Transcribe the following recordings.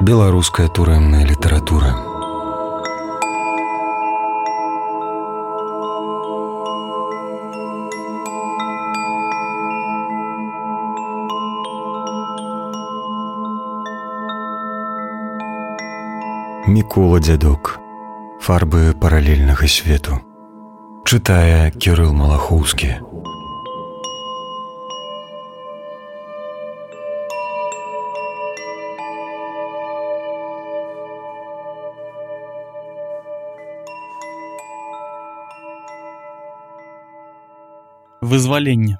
Беларуская турэмная літаратура. Мікола Дзядок. Фарбы паралельнага свету. Чытае Кірыл Малахоўскі. Вызваленне.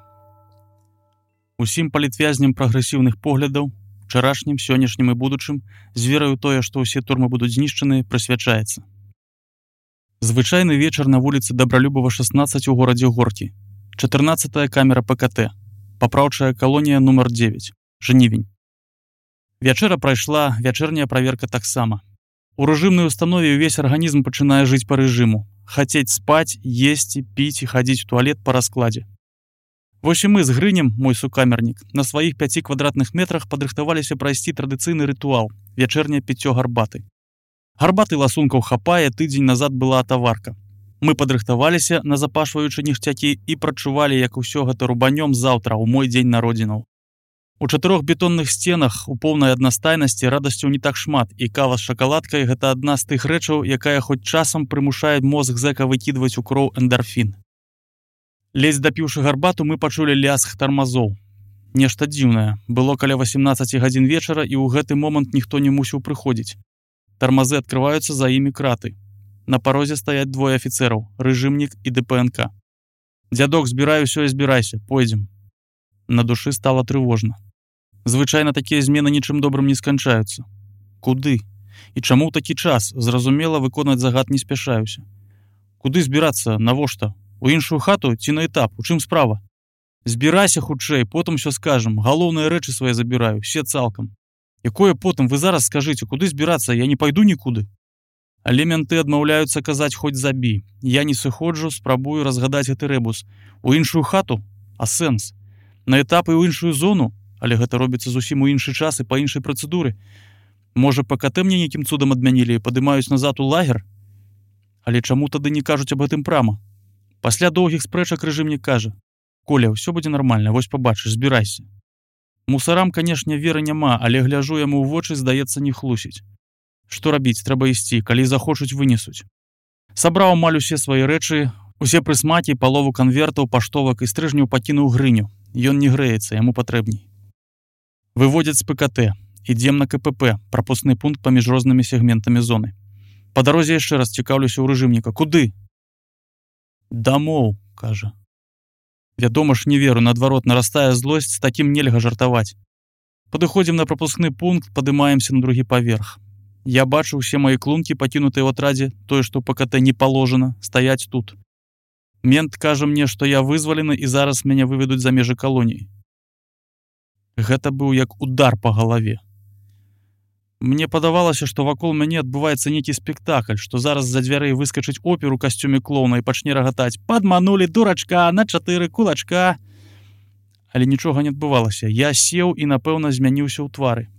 Усім палітвязням прагрэсіўных поглядаў, учарашнім, сённяшнім і будучым, з вераю тое, што ўсе турмы будуць знішчаны, прысвячаецца. Звычайны вечар на вуліцы Дабралюбова, 16 у горадзе Горкі. 14-я камера ПКТ. Папраўчая калонія нумар 9. Жнівень. Вячэра прайшла, вячэрняя праверка таксама. У рэжымнай установе ўвесь арганізм пачынае жыць па рэжыму. Хацець спаць, есці, піць і хадзіць у туалет па раскладзе. Вось і мы з Грынем, мой сукамернік, на сваіх 5 квадратных метрах падрыхтаваліся прайсці традыцыйны рытуал – вячэрняе піццё гарбаты. Гарбаты ласункаў хапае, тыдзень назад была атаварка. Мы падрыхтаваліся, назапашваючы ніштякі, і прачувалі, як усё гэта рубанём заўтра, у мой дзень народзінаў. У 4 бетонных сценах, у поўнай аднастайнасці, радасцяў не так шмат, і кава з шакаладкай – гэта адна з тых рэчаў, якая хоць часам прымушае мозг зэка выкідваць у кроў эндарфін. Ледзь дапіўшы гарбату, мы пачулі ляск тармазоў. Нешта дзіўнае. Было каля 18 гадзін вечара, і ў гэты момант ніхто не мусіў прыходзіць. Тармазы адкрываюцца, за імі краты. На парозе стаяць двое афіцэраў – рэжымнік і ДПНК. «Дзядок, збірай усё і збірайся, пойдзем». На душы стала трывожна. Звычайна такія змены нічым добрым не сканчаюцца. Куды? І чаму ў такі час? Зразумела, выконаць загад не спяшаюся. Куды збірацца? Навошта? У іншую хату ці на этап? У чым справа? Збірайся хутчэй, потым усё скажам. Галоўныя рэчы свае забіраю, все цалкам. Якое потым? Вы зараз скажыце, куды збірацца? Я не пайду нікуды. Але менты адмаўляюцца казаць хоць забі. Я не сыходжу, спрабую разгадаць гэты рэбус. У іншую хату? А сэнс? На этап і ў іншую зону? Але гэта робіцца зусім у іншы час і па іншай працэдуры. Можа, ПКТ мне нейкім цудам адмянілі і падымаюць назад у лагер? Але чаму тады не кажуць аб гэтым прама? Пасля доўгіх спрэчак рэжымнік кажа: «Коля, ўсё будзе нармальна, вось пабачыш, збірайся». Мусарам, канешне, веры няма, але гляжу яму ў вочы, здаецца, не хлусіць. Што рабіць, трэба ісці, калі захочуць, вынесуць. Сабраў амаль усе свае рэчы, усе прысмакі, палову канвертаў, паштовак і стрыжняў пакінуў Грыню. Ён не грэецца, яму патрэбней. Выводзяць з ПКТ. Ідзем на КПП, прапускны пункт паміж рознымі сегментамі зоны. Па дарозе яшчэ раз цікаўлюся ў рэжымніка. Куды? «Дамоў», кажа. Вядома ж, не веру, наадварот, нарастае злосць, з такім нельга жартаваць. Падыходзім на прапускны пункт, падымаемся на другі паверх. Я бачу ўсе мае клункі, пакінутыя ў атрадзе, тое, што ПКТ не паложана, стаяць тут. Мент кажа мне, што я вызвалены і зараз мяне выведуць за межы калоніі. Гэта быў як удар па галаве. Мне падавалася, што вакол мяне адбываецца нейкі спектакль, што зараз з-за дзвярэй выскачыць опер у касцюме клоуна і пачне рагатаць: «Падманулі, дурачка, на 4 кулачка». Але нічога не адбывалася. Я сеў і, напэўна, змяніўся ў твары.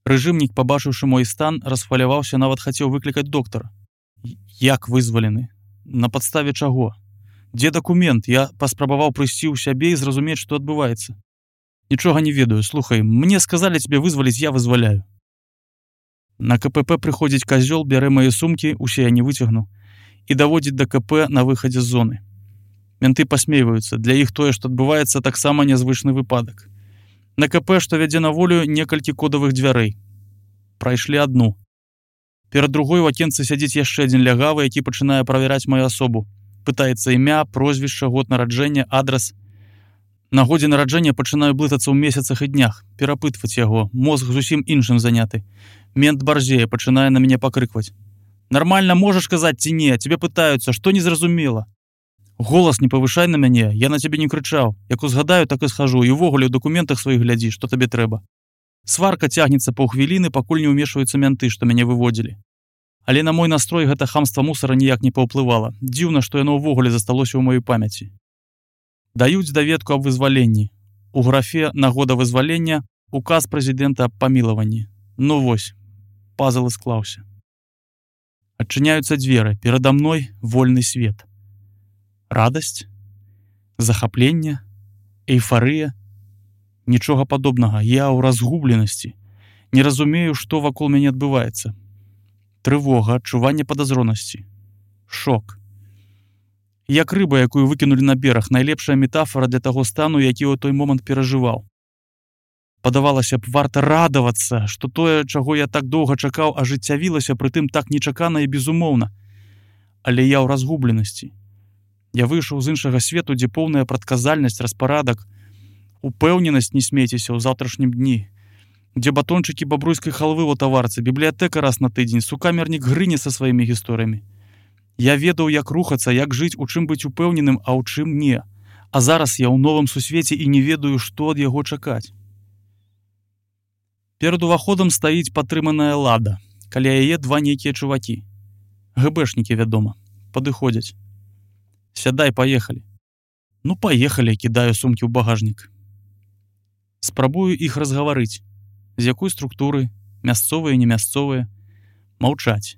Рэжымнік, пабачыўшы мой стан, расхваляваўся, нават хацеў выклікаць доктара. Як вызвалены? На падставе чаго? Дзе дакумент? Я паспрабаваў прыйсці ў сябе і зразумець, што адбываецца. Нічога не ведаю. Слухай, мне сказалі цябе вызваліць, я вызваляю. На КПП прыходзіць казёл, бярэ мае сумкі, усе я не выцягну, і даводзіць да КП на выхадзе з зоны. Менты пасмейваюцца. Для іх тое, што адбываецца, таксама нязвычны выпадак. На КП, што вядзе на волю, некалькі кодавых дзвярэй. Прайшлі адну. Перад другой у акенцы сядзіць яшчэ адзін лягавы, які пачынае правяраць маю асобу. Пытаецца імя, прозвішча, год нараджэння, адрас. На годзе нараджэння пачынаю блытацца ў месяцах і днях, перапытваць яго, мозг зусім іншым заняты. Мент барзее, пачынае на мяне пакрыкваць. «Нармальна можаш казаць ці не? Цябе пытаюцца, што незразумела?» «Голас не павышай на мяне, я на цябе не крычаў. Як узгадаю, так і схожу, і ўвогуле ў дакументах сваіх глядзі, што табе трэба». Сварка цягнецца паўхвіліны, пакуль не ўмешваюцца менты, што мяне выводзілі. Але на мой настрой гэта хамства мусара ніяк не паўплывала. Дзіўна, што яно ўвогуле засталося ў маёй памяці. Даюць даведку аб вызваленні. У графе «Нагода вызвалення» указ прэзідэнта аб памілаванні. Ну вось, пазл і склаўся. Адчыняюцца дзверы, перада мной вольны свет. Радасць, захапленне, эйфарыя. Нічога падобнага, я ў разгубленасці. Не разумею, што вакол мяне адбываецца. Трывога, адчуванне падазронасці. Шок. Як рыба, якую выкінулі на бераг, найлепшая метафора для таго стану, які ў той момант перажываў. Падавалася б, варта радавацца, што тое, чаго я так доўга чакаў, ажыццявілася, прытым так нечакана і безумоўна. Але я ў разгубленасці. Я выйшаў з іншага свету, дзе поўная прадказальнасць, распарадак, упэўненасць не смейцеся ў заўтрашнім дні, дзе батончыкі бабруйскай халвы ў таварцы, бібліятэка раз на тыдзень, сукамернік грыне са сваімі гісторыямі. Я ведаў, як рухацца, як жыць, у чым быць упэўненым, а ў чым не. А зараз я ў новым сусвеце і не ведаю, што ад яго чакаць. Перад уваходам стаіць падтрыманая лада. Каля яе два нейкія чувакі. ГБшнікі, вядома, падыходзяць. Сядай, паехалі. Ну, паехалі, кідаю сумкі ў багажнік. Спрабую іх разгаварыць. З якой структуры, мясцовыя, немясцовыя. Маўчаць.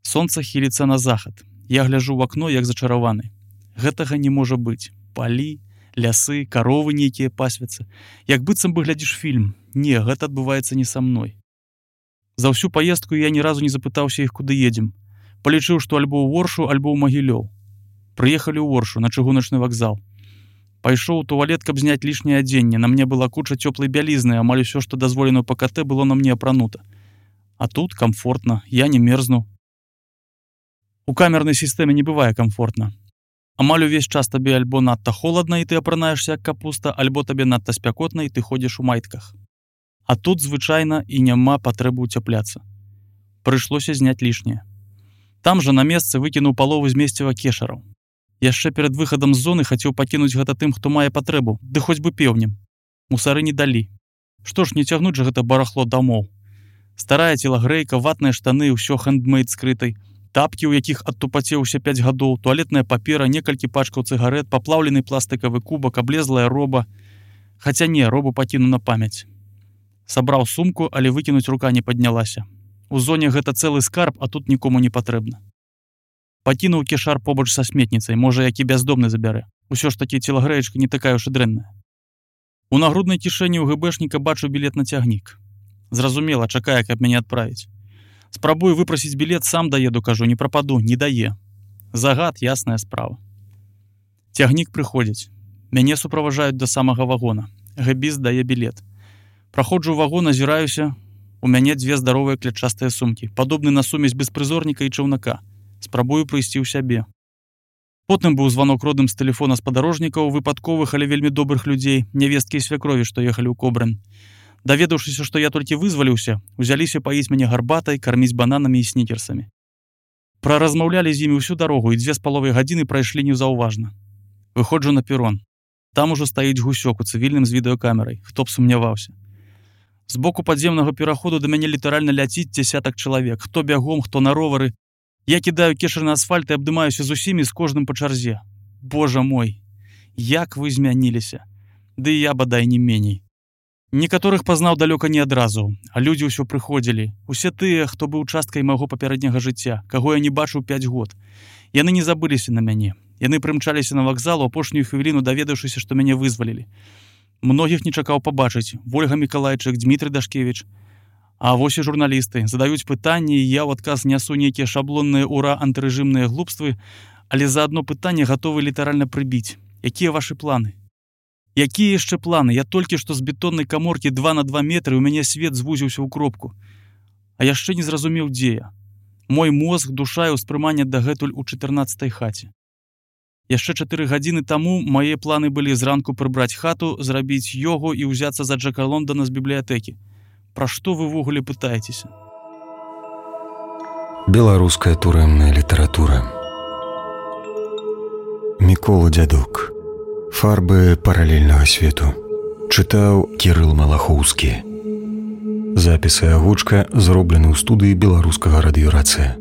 Сонца хіліцца на захад. Я гляжу ў акно, як зачараваны. Гэтага не можа быць. Палі, лясы, каровы нейкія пасвяцца. Як быццам бы глядзіш фільм. Не, гэта адбываецца не са мной. За ўсю паездку я ні разу не запытаўся іх, куды едзем. Палічыў, што альбо ў Оршу, альбо ў Магілёў. Прыехалі ў Оршу, на чыгуначны вакзал. Пайшоў у туалет, каб зняць лішняе адзенне. На мне была куча цёплай бялізны, амаль усё, што дазволена ў ПКТ, было на мне апранута. А тут камфортна, я не мерзну. У камернай сістэме не бывае камфортна. Амаль увесь час табе альбо надта холадна, і ты апранаешся як капуста, альбо табе надта спякотна, і ты ходзіш у майтках. А тут звычайна і няма патрэбы ўцяпляцца. Прыйшлося зняць лішняе. Там жа на месцы выкінуў палову змесціва кешараў. Яшчэ перад выхадам з зоны хацеў пакінуць гэта тым, хто мае патрэбу, ды хоць бы пеўнем. Мусары не далі. Што ж, не цягнуць жа гэта барахло дамоў. Старая целагрэйка, ватныя штаны, ўсё хэндмейд скрытай, тапкі, у якіх адтупацеўся 5 гадоў, туалетная папера, некалькі пачкаў цыгарэт, паплаўлены пластыкавы кубак, аблезлая роба. Хаця не, робу пакіну на памяць. Сабраў сумку, але выкінуць рука не паднялася. У зоне гэта цэлы скарб, а тут нікому не патрэбна. Пакінуў кешар побач са сметніцай, можа, які бяздомны забярэ. Усё ж такі целагрэечка не такая ўж і дрэнная. У нагруднай кішэні ў ГБшніка бачу білет на цягнік. Зразумела, чакае, каб мяне адправіць. Спрабую выпрасіць білет, сам даеду, кажу, не прападу, не дае. Загад, ясная справа. Цягнік прыходзіць. Мяне суправажаюць да самага вагона. Гэбіст дае білет. Праходжу ў вагон, азіраюся. У мяне 2 здаровыя клятчастыя сумкі, падобны на сумесь беспрызорніка і чаўнака. Спрабую прыйсці ў сябе. Потым быў званок родным з тэлефона спадарожнікаў, выпадковых, але вельмі добрых людзей, нявесткі і свякрові, што ехалі ў Кобрын. Даведаўшыся, што я толькі вызваліўся, узяліся паіць мяне гарбатай, карміць бананамі і снікерсамі. Праразмаўлялі з імі ўсю дарогу, і 2,5 гадзіны прайшлі неўзаўважна. Выходжу на перон. Там ужо стаіць гусёк у цывільным з відэакамерай. Хто б сумняваўся. З боку падземнага пераходу да мяне літаральна ляціць 10 чалавек. Хто бягом, хто на ровары. Я кідаю кешар на асфальт і абдымаюся з усімі, з кожным па чарзе. Божа мой, як вы змяніліся. Ды і я, бадай, не меней. Некаторых пазнаў далёка не адразу, а людзі ўсё прыходзілі. Усе тыя, хто быў часткай майго папярэдняга жыцця, каго я не бачыў 5 год. Яны не забыліся на мяне. Яны прымчаліся на вакзал, у апошнюю хвіліну даведаўшыся, што мяне вызвалілі. Многіх не чакаў пабачыць. Вольга Мікалайчык, Дмітрый Дашкевіч. А вось і журналісты. Задаюць пытанні, і я ў адказ нясу нейкія шаблонныя ура антырэжымныя глупствы, але за адно пытанне гатовы літаральна прыбіць. Якія вашы планы? Якія яшчэ планы? Я толькі што з бетоннай каморкі 2 на 2 метры, у мяне свет звузіўся ў кропку. А яшчэ не зразумеў, дзе я. Мой мозг, душа і ўспрыманне дагэтуль у 14-й хаце. Яшчэ 4 гадзіны таму мае планы былі зранку прыбраць хату, зрабіць йогу і ўзяцца за Джека Лондона з бібліятэкі. Пра што вы ўвогуле пытаецеся? Беларуская турэмная літаратура. Мікола Дзядук. Фарбы паралельнага свету. Чытаў Кірыл Малахоўскі. Запісы агучка зроблены ў студыі беларускага радыёрацыя.